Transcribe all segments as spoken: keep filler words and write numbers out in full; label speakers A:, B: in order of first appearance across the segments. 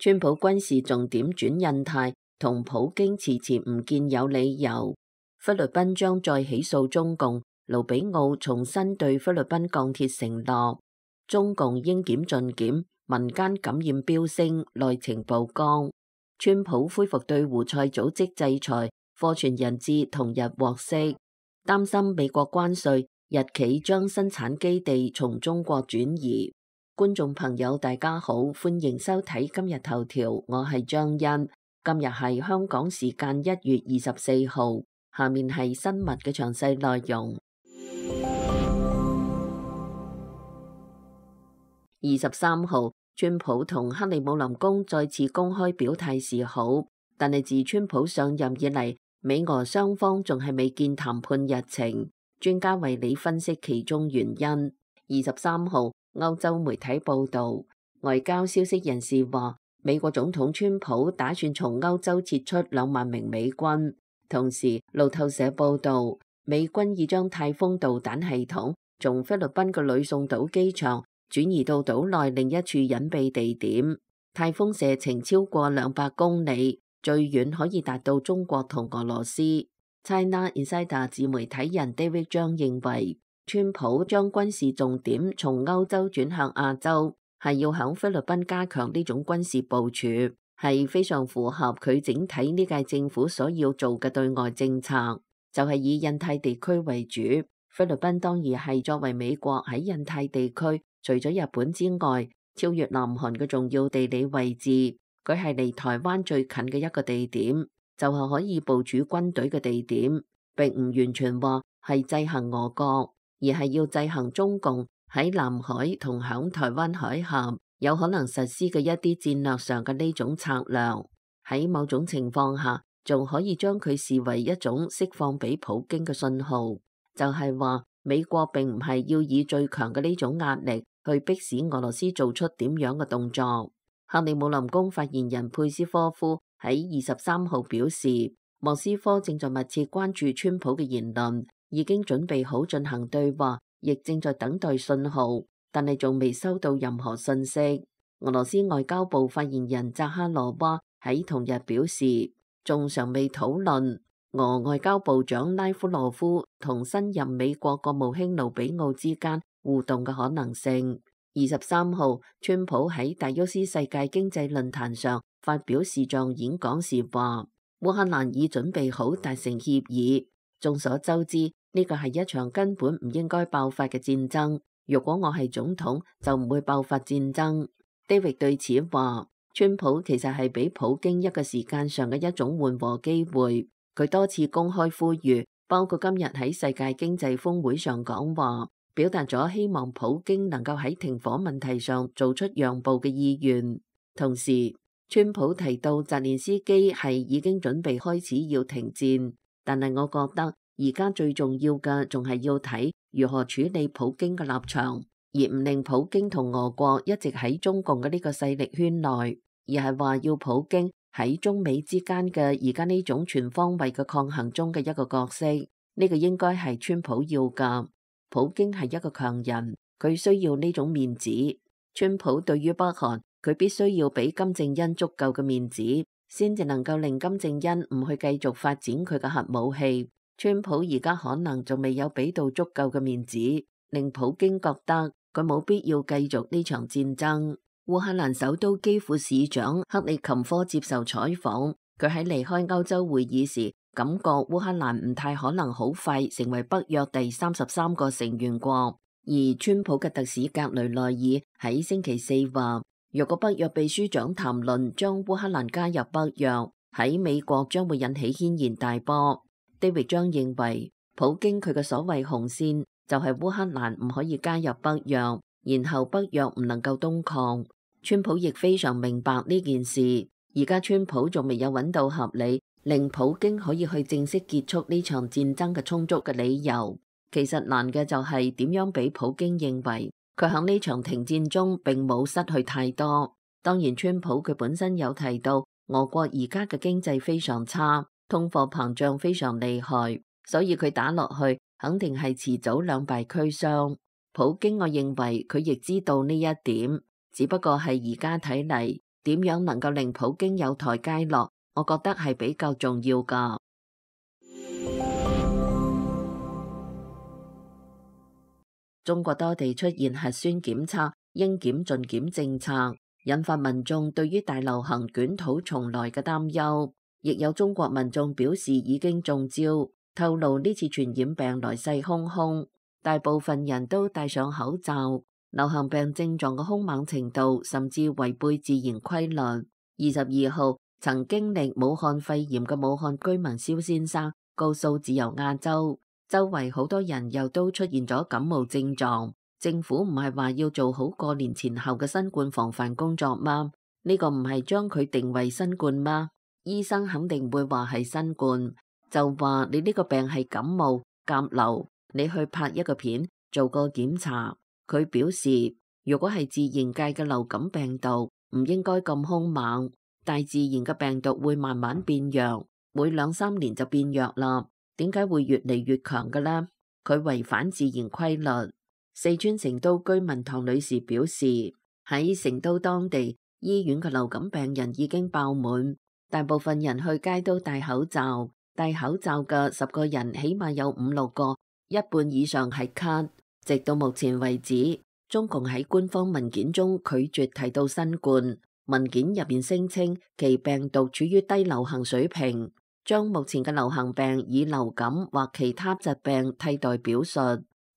A: 川普軍事重點轉印太，同普京遲遲唔見有理由。菲律賓將再起訴中共，盧比奧重申對菲律賓鋼鐵承諾。中共應檢盡檢，民間感染飆升，內情曝光。川普恢復對胡塞組織制裁，貨傳人質同日獲釋。擔心美國關稅，日企將生產基地從中國轉移。觀眾朋友大家好，歡迎收睇今日頭條，我係張欣。今日係香港時間一月二十四號，下面係新聞嘅詳細內容。二十三號，川普同克里姆林宮再次公開表態示好，但係自川普上任以嚟，美俄雙方仲係未見談判日程。專家為你分析其中原因。二十三號，歐洲媒體報道，外交消息人士話，美國總統川普打算從歐洲撤出兩萬名美軍。同時，路透社報道，美軍已將太空導彈系統從菲律賓嘅呂宋島機場轉移到島內另一處隱蔽地點，太空射程超過兩百公里，最遠可以達到中國同俄羅斯。China Insider 自媒體人 David 張認為，川普將軍事重點從歐洲轉向亞洲，係要響菲律賓加強呢種軍事部署，係非常符合佢整體呢屆政府所要做嘅對外政策，就係以印太地區為主。菲律賓當然係作為美國喺印太地區除咗日本之外，超越南韓嘅重要地理位置，佢係離台灣最近嘅一個地點，就係可以部署軍隊嘅地點，並唔完全話係制衡俄國，而係要制衡中共喺南海同響台灣海峽有可能實施嘅一啲戰略上嘅呢種策略。喺某種情況下，仲可以將佢視為一種釋放俾普京嘅信號，就係話美國並唔係要以最強嘅呢種壓力去迫使俄羅斯做出點樣嘅動作。克里姆林宮發言人佩斯科夫喺二十三號表示，莫斯科正在密切關注川普嘅言論，已經準備好進行對話，亦正在等待信號，但係仲未收到任何信息。俄羅斯外交部發言人扎哈羅娃喺同日表示，仲尚未討論俄外交部長拉夫羅夫同新任美國國務卿盧比奧之間互動嘅可能性。二十三號，川普喺達沃斯世界經濟論壇上發表視像演講時話，烏克蘭已準備好達成協議。眾所周知，呢個係一場根本唔應該爆發嘅戰爭。如果我係總統，就唔會爆發戰爭。David 對此話，川普其實係俾普京一個時間上嘅一種緩和機會。佢多次公開呼籲，包括今日喺世界經濟峰會上講話，表達咗希望普京能夠喺停火問題上做出讓步嘅意願。同時，川普提到澤連斯基係已經準備開始要停戰，但係我覺得而家最重要嘅仲係要睇如何處理普京嘅立場，而唔令普京同俄國一直喺中共嘅呢個勢力圈內，而係話要普京喺中美之間嘅而家呢種全方位嘅抗衡中嘅一個角色。呢個應該係川普要㗎。普京係一個強人，佢需要呢種面子。川普對於北韓，佢必須要俾金正恩足夠嘅面子，先至能夠令金正恩唔去繼續發展佢嘅核武器。川普而家可能仲未有俾到足夠嘅面子，令普京覺得佢冇必要繼續呢場戰爭。烏克蘭首都基輔市長克里琴科接受採訪，佢喺離開歐洲會議時，感覺烏克蘭唔太可能好快成為北約第三十三個成員國。而川普嘅特使格雷內爾喺星期四話，若果北約秘書長談論將烏克蘭加入北約，喺美國將會引起軒然大波。David 張認為，普京佢嘅所謂紅線就係烏克蘭唔可以加入北約，然後北約唔能夠東擴。川普亦非常明白呢件事，而家川普仲未有揾到合理令普京可以去正式結束呢場戰爭嘅充足嘅理由。其實難嘅就係點樣俾普京認為佢喺呢場停戰中並冇失去太多。當然，川普佢本身有提到俄國而家嘅經濟非常差，通貨膨脹非常厲害，所以佢打落去肯定係遲早兩敗俱傷。普京我認為佢亦知道呢一點，只不過係而家睇嚟，點樣能夠令普京有台階落，我覺得係比較重要㗎。中國多地出現核酸檢測應檢盡檢政策，引發民眾對於大流行捲土重來嘅擔憂。亦有中國民眾表示已經中招，透露呢次傳染病來勢洶洶，大部分人都戴上口罩。流行病症狀嘅兇猛程度甚至違背自然規律。二十二號，曾經歷武漢肺炎嘅武漢居民蕭先生告訴自由亞洲，周圍好多人又都出現咗感冒症狀。政府唔係話要做好過年前後嘅新冠防範工作嗎？呢個唔係將佢定為新冠嗎？醫生肯定會話係新冠，就話你呢個病係感冒甲流，你去拍一個片做個檢查。佢表示，如果係自然界嘅流感病毒，唔應該咁兇猛。大自然嘅病毒會慢慢變弱，每兩三年就變弱啦。點解會越嚟越強嘅呢？佢違反自然規律。四川成都居民唐女士表示，喺成都當地醫院嘅流感病人已經爆滿。大部分人去街都戴口罩，戴口罩嘅十個人起碼有五六個，一半以上係咳。直到目前為止，中共喺官方文件中拒絕提到新冠，文件入邊聲稱其病毒處於低流行水平，將目前嘅流行病以流感或其他疾病替代表述。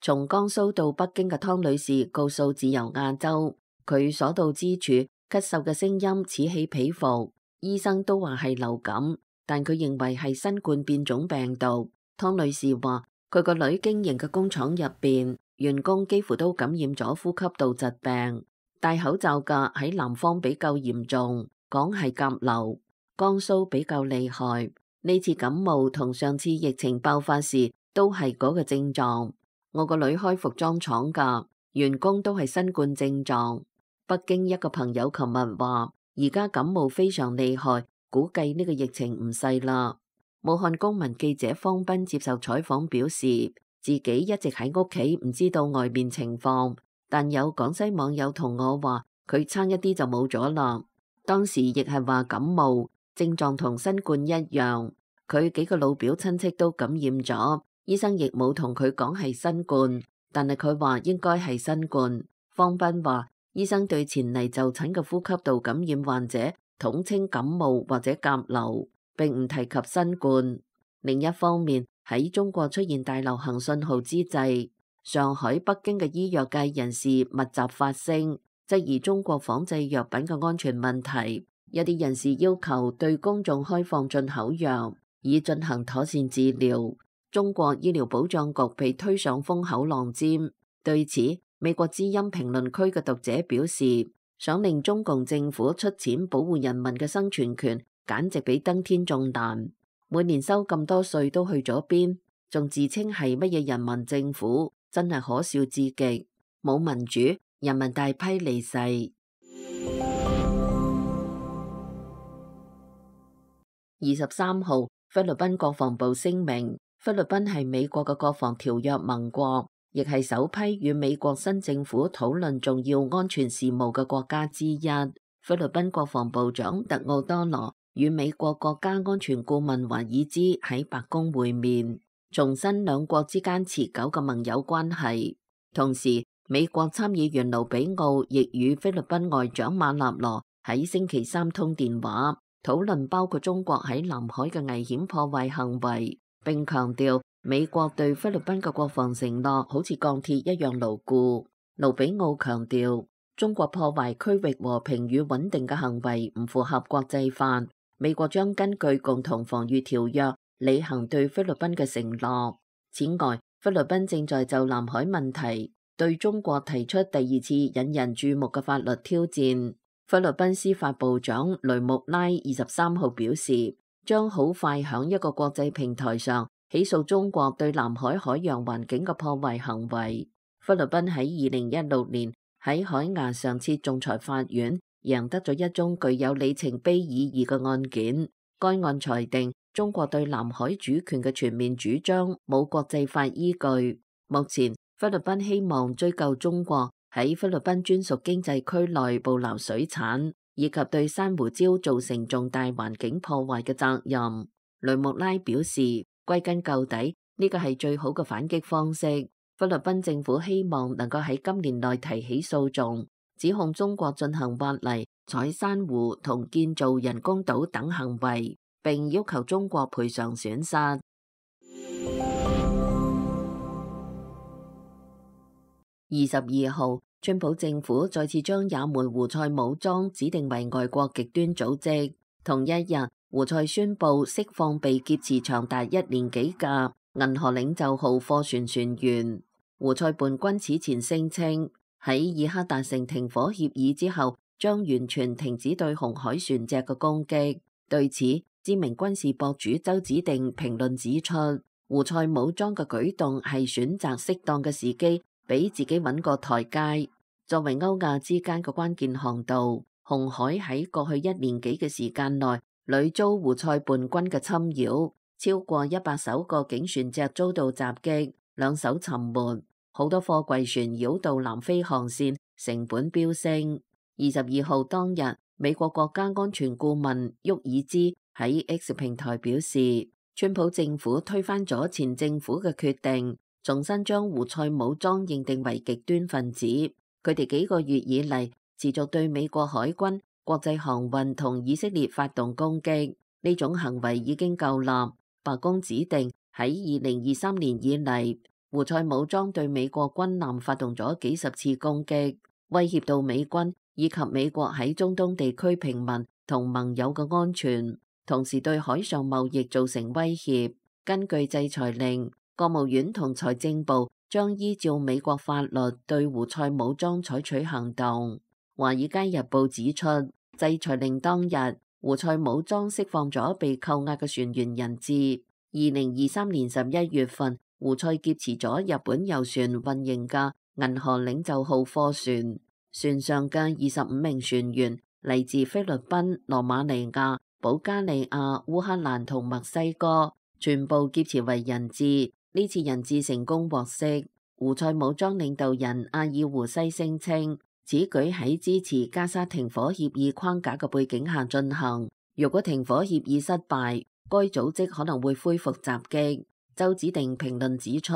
A: 從江蘇到北京嘅湯女士告訴自由亞洲，佢所到之處咳嗽嘅聲音此起彼伏。醫生都話係流感，但佢認為係新冠變種病毒。湯女士話，佢個女經營嘅工廠入邊，員工幾乎都感染咗呼吸道疾病。戴口罩嘅喺南方比較嚴重，講係甲流，江蘇比較厲害。呢次感冒同上次疫情爆發時都係嗰個症狀。我個女開服裝廠㗎，員工都係新冠症狀。北京一個朋友琴日話，而家感冒非常厲害，估計呢個疫情唔細啦。武漢公民記者方斌接受採訪表示，自己一直喺屋企，唔知道外面情況，但有廣西網友同我話，佢差一啲就冇咗啦。當時亦係話感冒，症狀同新冠一樣，佢幾個老表親戚都感染咗，醫生亦冇同佢講係新冠，但係佢話應該係新冠。方斌話，醫生對前嚟就診嘅呼吸道感染患者統稱感冒或者甲流，並唔提及新冠。另一方面，喺中國出現大流行信號之際，上海、北京嘅醫藥界人士密集發聲，質疑中國仿製藥品嘅安全問題。一啲人士要求對公眾開放進口藥，以進行妥善治療。中國醫療保障局被推上風口浪尖。對此，美國之音評論區嘅讀者表示，想令中共政府出錢保護人民嘅生存權，簡直比登天仲難。每年收咁多稅都去咗邊？仲自稱係乜嘢人民政府，真係可笑至極。冇民主，人民大批離世。二十三號，菲律賓國防部聲明，菲律賓係美國嘅國防條約盟國，亦係首批與美國新政府討論重要安全事務嘅國家之一。菲律賓國防部長特奧多羅與美國國家安全顧問華爾茲喺白宮會面，重申兩國之間持久嘅盟友關係。同時，美國參議員盧比奧亦與菲律賓外長馬納羅喺星期三通電話，討論包括中國喺南海嘅危險破壞行為，並強調美國對菲律賓嘅國防承諾好似鋼鐵一樣牢固。盧比奧強調，中國破壞區域和平與穩定嘅行為唔符合國際法。美國將根據共同防禦條約履行對菲律賓嘅承諾。此外，菲律賓正在就南海問題對中國提出第二次引人注目嘅法律挑戰。菲律賓司法部長雷穆拉二十三號表示，將好快響一個國際平台上起訴中國對南海海洋環境嘅破壞行為。菲律賓喺二零一六年喺海牙上設仲裁法院贏得咗一宗具有里程碑意義嘅案件。該案裁定中國對南海主權嘅全面主張冇國際法依據。目前菲律賓希望追究中國喺菲律賓專屬經濟區內捕撈水產。以及對珊瑚礁造成重大環境破壞嘅責任。雷穆拉表示，歸根究底，呢個係最好嘅反擊方式。菲律賓政府希望能夠喺今年內提起訴訟，指控中國進行挖泥、採珊瑚同建造人工島等行為，並要求中國賠償損失。二十二號，川普政府再次將也門胡塞武裝指定為外國極端組織。同一日，胡塞宣布釋放被劫持長達一年幾嘅銀河領袖號貨船船員。胡塞叛軍此前聲稱喺以哈達成停火協議之後，將完全停止對紅海船隻嘅攻擊。對此，知名軍事博主周子定評論指出，胡塞武裝嘅舉動係選擇適當嘅時機，俾自己揾個台階。作為歐亞之間嘅關鍵航道，紅海喺過去一年幾嘅時間內，屢遭胡塞叛軍嘅侵擾，超過一百艘過境船隻遭到襲擊，兩艘沉沒，好多貨櫃船繞道南非航線，成本飆升。二十二號當日，美國國家安全顧問沃爾茲喺 X 平台表示，川普政府推翻咗前政府嘅決定，重新將胡塞武裝認定為極端分子。佢哋幾個月以嚟持續對美國海軍、國際航運同以色列發動攻擊，呢種行為已經夠啦。白宮指定喺二零二三年以嚟，胡塞武裝對美國軍艦發動咗幾十次攻擊，威脅到美軍以及美國喺中東地區平民同盟友嘅安全，同時對海上貿易造成威脅。根據制裁令，國務院同財政部將依照美國法律對胡塞武裝採取行動。華爾街日報指出，制裁令當日，胡塞武裝釋放咗被扣押嘅船員人質。二零二三年十一月份，胡塞劫持咗日本郵船運營嘅銀河領袖號貨船，船上嘅二十五名船員嚟自菲律賓、羅馬尼亞、保加利亞、烏克蘭同墨西哥，全部劫持為人質。呢次人質成功獲釋。胡塞武裝領導人阿爾胡西聲稱，此舉喺支持加沙停火協議框架嘅背景下進行。如果停火協議失敗，該組織可能會恢復襲擊。周子定評論指出，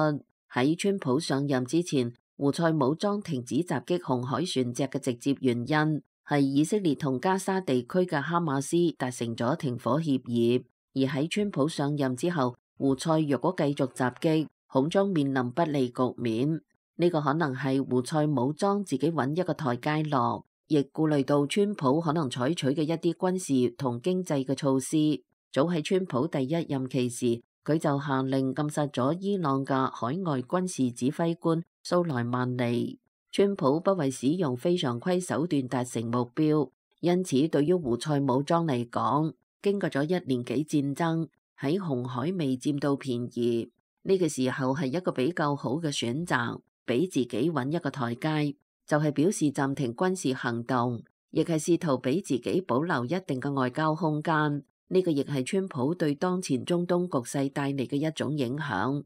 A: 喺川普上任之前，胡塞武裝停止襲擊紅海船隻嘅直接原因係以色列同加沙地區嘅哈馬斯達成咗停火協議，而喺川普上任之後，胡塞若果繼續襲擊，恐將面臨不利局面。呢個可能係胡塞武裝自己揾一個台階落，亦顧慮到川普可能採取嘅一啲軍事同經濟嘅措施。早喺川普第一任期時，佢就下令禁殺咗伊朗嘅海外軍事指揮官蘇萊曼尼。川普不為使用非常規手段達成目標，因此對於胡塞武裝嚟講，經過咗一年幾戰爭，喺紅海未佔到便宜，呢個時候係一個比較好嘅選擇，俾自己揾一個台階，就係表示暫停軍事行動，亦係試圖俾自己保留一定嘅外交空間。呢個亦係川普對當前中東局勢帶嚟嘅一種影響。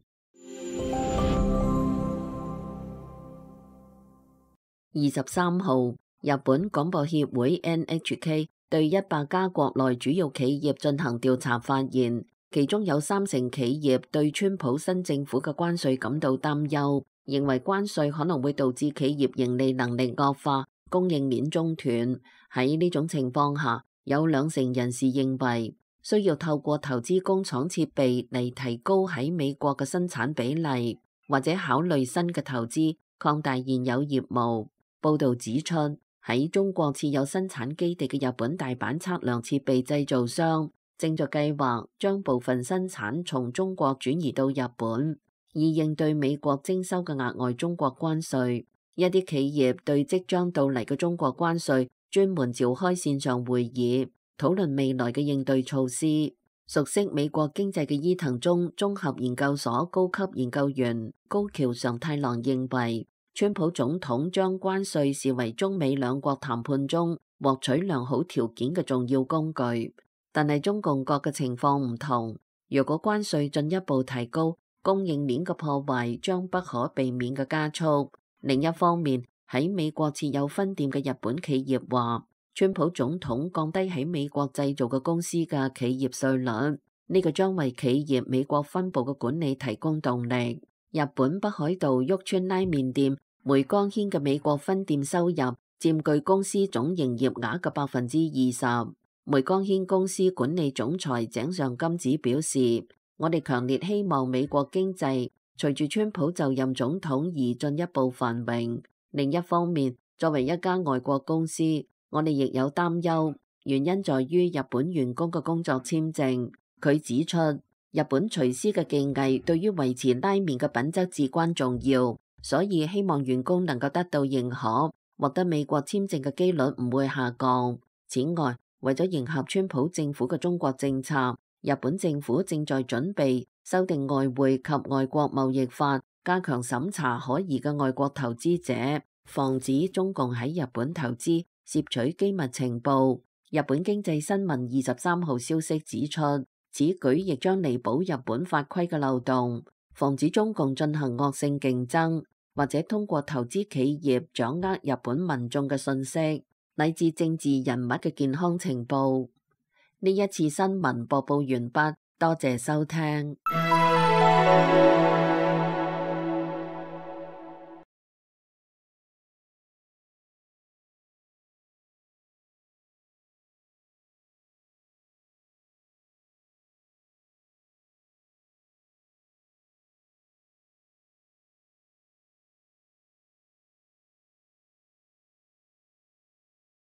A: 二十三號，日本廣播協會 N H K 對一百家國內主要企業進行調查，發現其中有三成企業對川普新政府嘅關稅感到擔憂，認為關稅可能會導致企業盈利能力惡化、供應鏈中斷。喺呢種情況下，有兩成人士認為需要透過投資工廠設備嚟提高喺美國嘅生產比例，或者考慮新嘅投資擴大現有業務。報導指出，喺中國設有生產基地嘅日本大阪測量設備製造商正在計劃將部分生產從中國轉移到日本，以應對美國徵收嘅額外中國關稅。一啲企業對即將到嚟嘅中國關稅專門召開線上會議，討論未來嘅應對措施。熟悉美國經濟嘅伊藤忠綜合研究所高級研究員高橋常太郎認為，川普總統將關稅視為中美兩國談判中獲取良好條件嘅重要工具，但係中共國嘅情況唔同。如果關稅進一步提高，供應鏈嘅破壞將不可避免嘅加速。另一方面，喺美國設有分店嘅日本企業話，川普總統降低喺美國製造嘅公司嘅企業稅率，呢個將為企業美國分部嘅管理提供動力。日本北海道旭川拉麵店梅江軒嘅美國分店收入佔據公司總營業額嘅百分之二十。梅江軒公司管理總裁井上金子表示：我哋強烈希望美國經濟隨住川普就任總統而進一步繁榮。另一方面，作為一家外國公司，我哋亦有擔憂，原因在於日本員工嘅工作簽證。佢指出，日本廚師嘅技藝對於維持拉麵嘅品質至關重要，所以希望員工能夠得到認可，獲得美國簽證嘅機率唔會下降。此外，為咗迎合川普政府嘅中國政策，日本政府正在準備修訂外匯及外國貿易法，加強審查可疑嘅外國投資者，防止中共喺日本投資攝取機密情報。日本經濟新聞二十三號消息指出，此舉亦將彌補日本法規嘅漏洞，防止中共進行惡性競爭，或者通過投資企業掌握日本民眾嘅信息，乃至政治人物嘅健康情報。呢一次新聞播報完畢，多謝收聽。